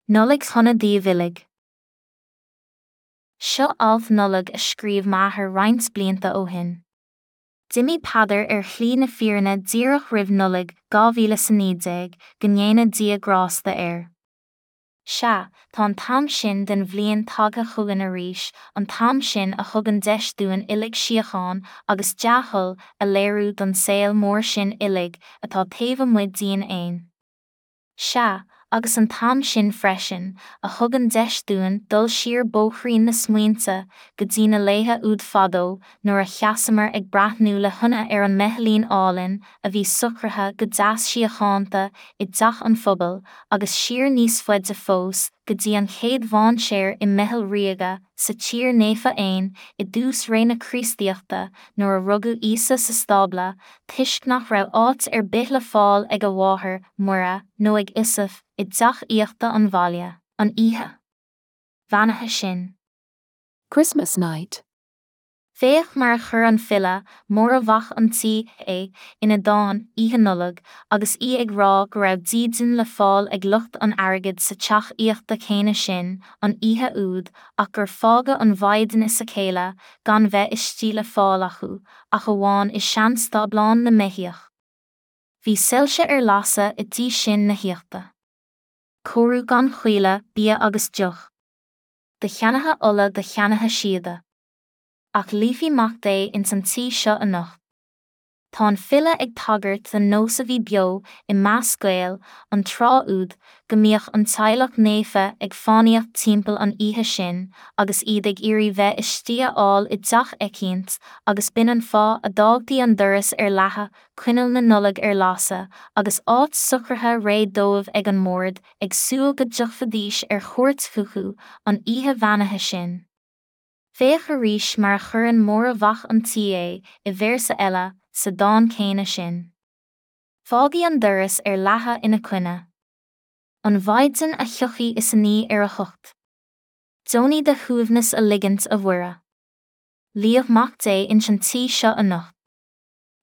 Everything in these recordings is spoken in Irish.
Nollaig shona daoibh uilig. Seo alt Nollag a scríobh m'athair roinnt blianta ó shin. D'imigh Peadar ar shlí na fírinne díreach roimh Nollaig 2019, go ndéana Dia grásta air. Sea, tá an t-am sin den bhliain tagtha chugainn arís, an t-am sin a thugann deis dúinn uilig síocháin agus dea-thoil a léiriú don saol mór sin uilig atá taobh amuigh dínn fhéin. Sea, agus an t-am sin freisin, a thugann deis dúinn dul siar bóithrín na smaointe go dtí na laetha úd fadó nuair a sheasamar ag breathnú le hionadh ar an mbeithilín álainn a bhí socraithe go deas síochánta i dteach an phobail agus siar níos faide fós go dtí an chéad mhainséar i mBeithil Ríoga sa tír naofa fhéin i dtús ré na Críostaíochta nuair a rugadh Íosa sa stábla toisc nach raibh áit ar bith le fáil ag a mháthair, Muire, nó ag Iosaf i dteach aíochta an bhaile, an oíche bheannaithe sin. Christmas night. Féach mar a chuir an file, Máire Mhac an tSaoi, é, ina dán, Oíche Nollag, agus í ag rá go raibh dídean le fáil ag lucht an airgid sa teach aíochta céanna sin, an oíche úd, ach gur fágadh an Mhaighdean is a céile gan bheith istigh le fáil acu, ach amháin i seanstáblán na mbeithíoch. Bhí soilse ar lasadh i dtí sin na haíochta. Cóiriú gan choinne, bia agus deoch. Do cheannaithe ola do cheannaithe síoda. Ach luífidh Mac Dé ins an tí seo anocht. Tá an file ag tagairt don nós a bhí beo i measc Gael an tráth úd go mbíodh an teaghlach naofa ag fánaíocht timpeall an oíche sin agus iad ag iarraidh bheith istigh a fháil i dteach eicínt agus b'in an fáth a d'fhágtaí an doras ar leathadh, coinneal na Nollag ar lasadh agus áit socraithe réidh dóibh ag an mbord ag súil go dtiocfaidís ar chuairt chucu an oíche bheannaithe sin. Féach arís mar a chuireann Máire Mhac an tSaoi é i véarsa eile sa dán céanna sin. Fágaidh an doras ar leathadh ina coinne. An mhaighdean a thiocfaidh is a ní ar a hucht. Deonaigh do shuaimhneas a ligint, a Mhuire. Luíodh Mac Dé ins an tí seo anocht.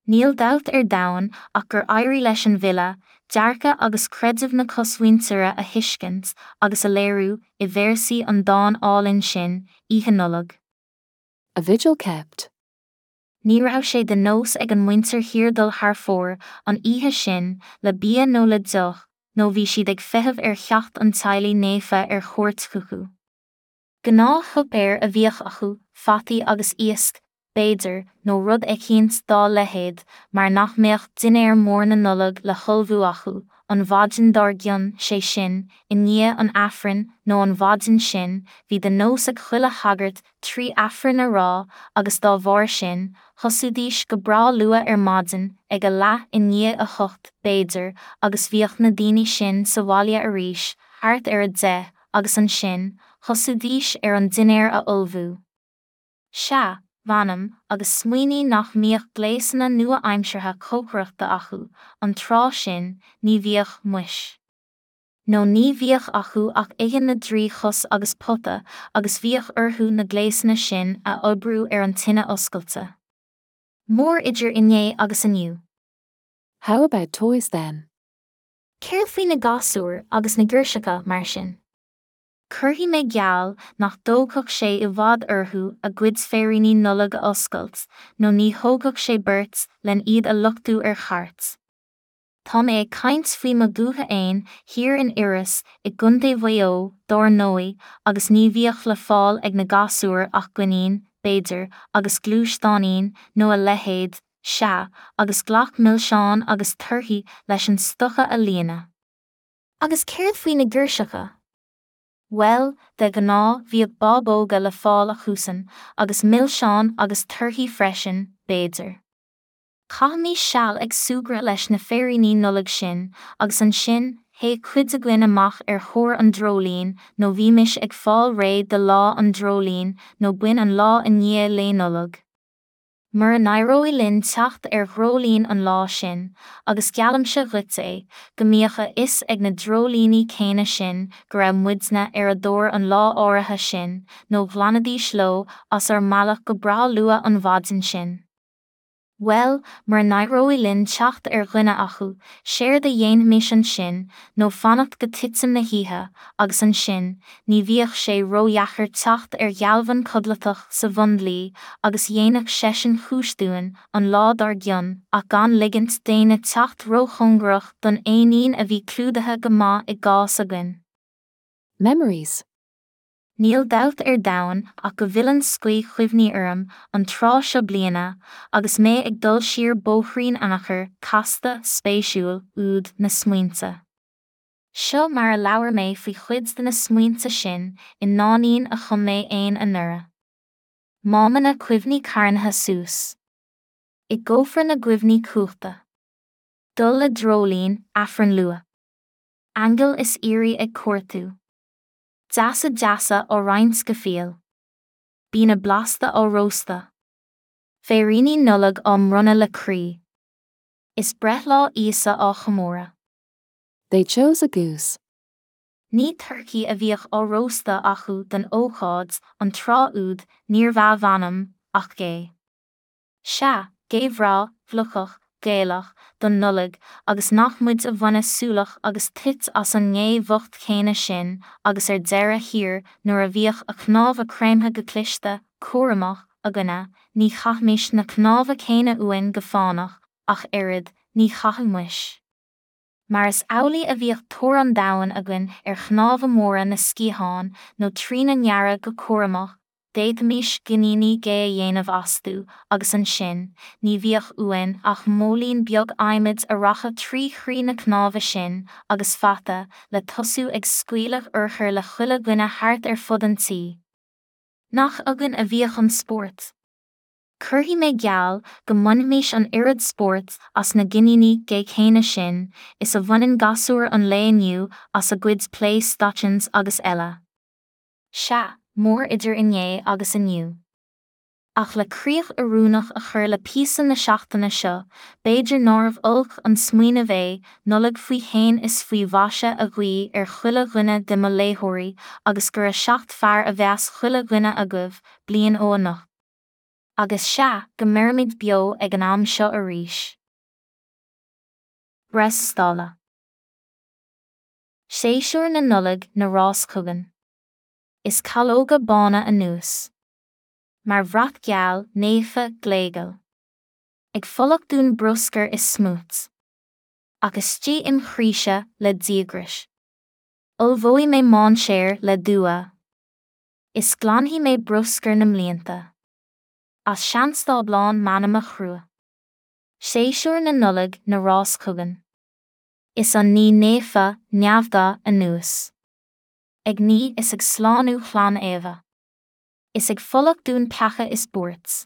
Níl dabht ar domhan ach gur éirigh leis an bhfile dearcadh agus creideamh na cosmhuintire a thuiscint agus a léiriú i véarsaí an dáin álainn sin, Oíche Nollag. A vigil kept. Ní raibh sé de nós ag an muintir thiar dul thar fóir an oíche sin le bia nó le deoch nó bhí siad ag feitheamh ar theacht an teaghlaigh naofa ar chuairt chucu. Gnáthshuipéar a bhíodh acu, fataí agus iasc, b'fhéidir, nó rud eicínt dá leithéid, mar nach mbeadh dinnéar mór na Nollag le hullmhú acu, an mhaidin dár gcionn, sé sin, i ndiaidh an Aifrinn, nó an mhaidin sin, bhí de nós ag chuile shagart 3 Aifreann a rá, agus dá bharr sin, thosaídís go breá luath ar maidin, ag a leath i ndiaidh 8, b'fhéidir, agus bhíodh na daoine sin sa bhaile arís, thart ar 10, agus ansin, thosaídís ar an dinnéar a ullmhú. Sea, mh'anam, agus smaoinigh nach mbíodh gléasanna nua-aimseartha cócaireachta acu, an tráth sin, ní bhíodh, muis. Nó ní bhíodh acu ach oigheann na dtrí chos agus pota, agus bhíodh orthu na gléasanna sin a oibriú ar an tine oscailte. Mór idir inné agus inniu. How about toys then? Céard faoi na gasúir agus na girseacha, mar sin? Cuirfidh mé geall nach dtógfadh sé i bhfad orthu a gcuid féiríní Nollag a oscailt, nó ní thógfadh sé beirt len iad a luchtú ar chairt. Tá mé ag caint faoi mo dhúiche fhéin, thiar in Iorras, i gContae Mhaigh Eo, dár ndóigh, agus ní bhíodh le fáil ag na gasúir ach coinín, b'fhéidir, agus gluaisteáinín, nó a leithéid, Sea, agus glac milseáin agus torthaí leis an stoca a líonadh. Agus céard faoi na girseacha? Bhuel, de ghnáth bhíodh bábóga le fáil acusan, agus milseáin agus torthaí freisin, b'fhéidir. Chaithimis seal ag súgradh leis na féiríní Nollag sin, agus ansin, théadh cuid againn amach ar thóir an dreoilín, nó bhímis ag fáil réidh do lá an dreoilín, nó b'in an lá i ndiaidh Lae Nollag. Mura n-éireoidh linn teacht ar dhreoilín an lá sin, agus geallaimse dhuit é, go mbíodh a fhios ag na dreoilíní céanna sin go raibh muidne ar a dtóir an lá áirithe sin, nó ghlanfaidís leo as ár mbealach go breá luath an mhaidin sin. Bhuel, mura n-éireoidh linn teacht ar dhuine acu, séard a dhéanfaimis ansin nó fanacht go titim na hoíche, agus ansin, ní bhíodh sé ródheacair teacht ar ghealbhan codlatach sa bhundlaoi agus dhéanfadh seisean cúis dúinn an lá dár gcionn ach gan ligint d'éinne teacht róchóngarach don éinín a bhí clúdaithe go maith i gcás againn. Memories. Níl dabht ar domhan ach go bhfilleann scaoth chuimhní orm an tráth seo bliana agus mé ag dul siar bóithrín anacair, casta, spéisiúil, úd na smaointe. Seo mar a labhair mé faoi chuid de na smaointe sin i ndáinín a chum mé fhéin anuraidh. Mámanna cuimhní carnaithe suas. I gcófra na gcuimhní cuachta. Dul le dreoilín, Aifreann luath. Aingil is aoirí ag cuartú. Deasa deasa á roinnt go fial. Bianna blasta á róstadh. Féiríní Nollag á mbronnadh le croí. Is breithlá Íosa á chomóradh. They chose a goose. Ní turcaí a bhíodh á róstadh acu don ócáid an tráth úd níorbh ea mh'anam ach gé. Sea, gé bhreá, bhliuchach, Gaelach, don Nollaig, agus nach muid a bhaineadh súlach agus toit as an ngé bhocht chéanna sin, agus ar deireadh thiar, nuair a bhíodh a cnámha creimthe go cliste, cúramach, againne, ní chaithimis na cnámha céanna uainn go fánach, ach oiread, ní chaitheadh muis. Mar is amhlaidh a bhíodh tóir an domhain againn ar chnámha móra na sciathán, nó trína ngearradh go cúramach, D'fhéadfaimis geiníní gé a dhéanamh astu agus ansin, ní bhíodh uainn ach móilín beag adhmaid a rachadh trí chroí na cnáimhe sin, agus fata, le tosú ag scaoileadh urchar le chuile dhuine thart ar fud an tí. Nach againn a bhíodh an spórt? Cuirfidh mé geall go mbainfimis an oiread spóirt as na geiníní gé céanna sin is a bhaineann gasúir an lae inniu as a gcuid play stations agus eile. Sea, mór idir inné agus inniu. Ach le críoch oiriúnach a chur le píosa na seachtaine seo, b'fhéidir nárbh olc an smaoineamh é Nollaig faoi shéan is faoi mhaise a ghuí ar chuile dhuine de mo léitheoirí agus gura 7 fearr a bheas chuile dhuine agaibh, bliain ó anocht. Agus sea, go mbeirimid beo ag an am seo arís. Bréstála. Séasúr na Nollag 'na rás chugainn. Is calóga bána anuas. Mar bhrat geal, naofa, gléigeal. Ag fulacht dúinn bruscar is smúit. Ach istigh im chroíse, le díograis. Ullmhóidh mé mainséar le dua. Is glanfaidh mé bruscar na mblianta. As seanstáblán m'anama chrua. Séasúr na Nollag 'na rás chugainn. Is an ní naofa, neamhda, anuas. Ag ní is ag slánú chlann Éabha. Is ag fulacht dúinn peaca is buairt.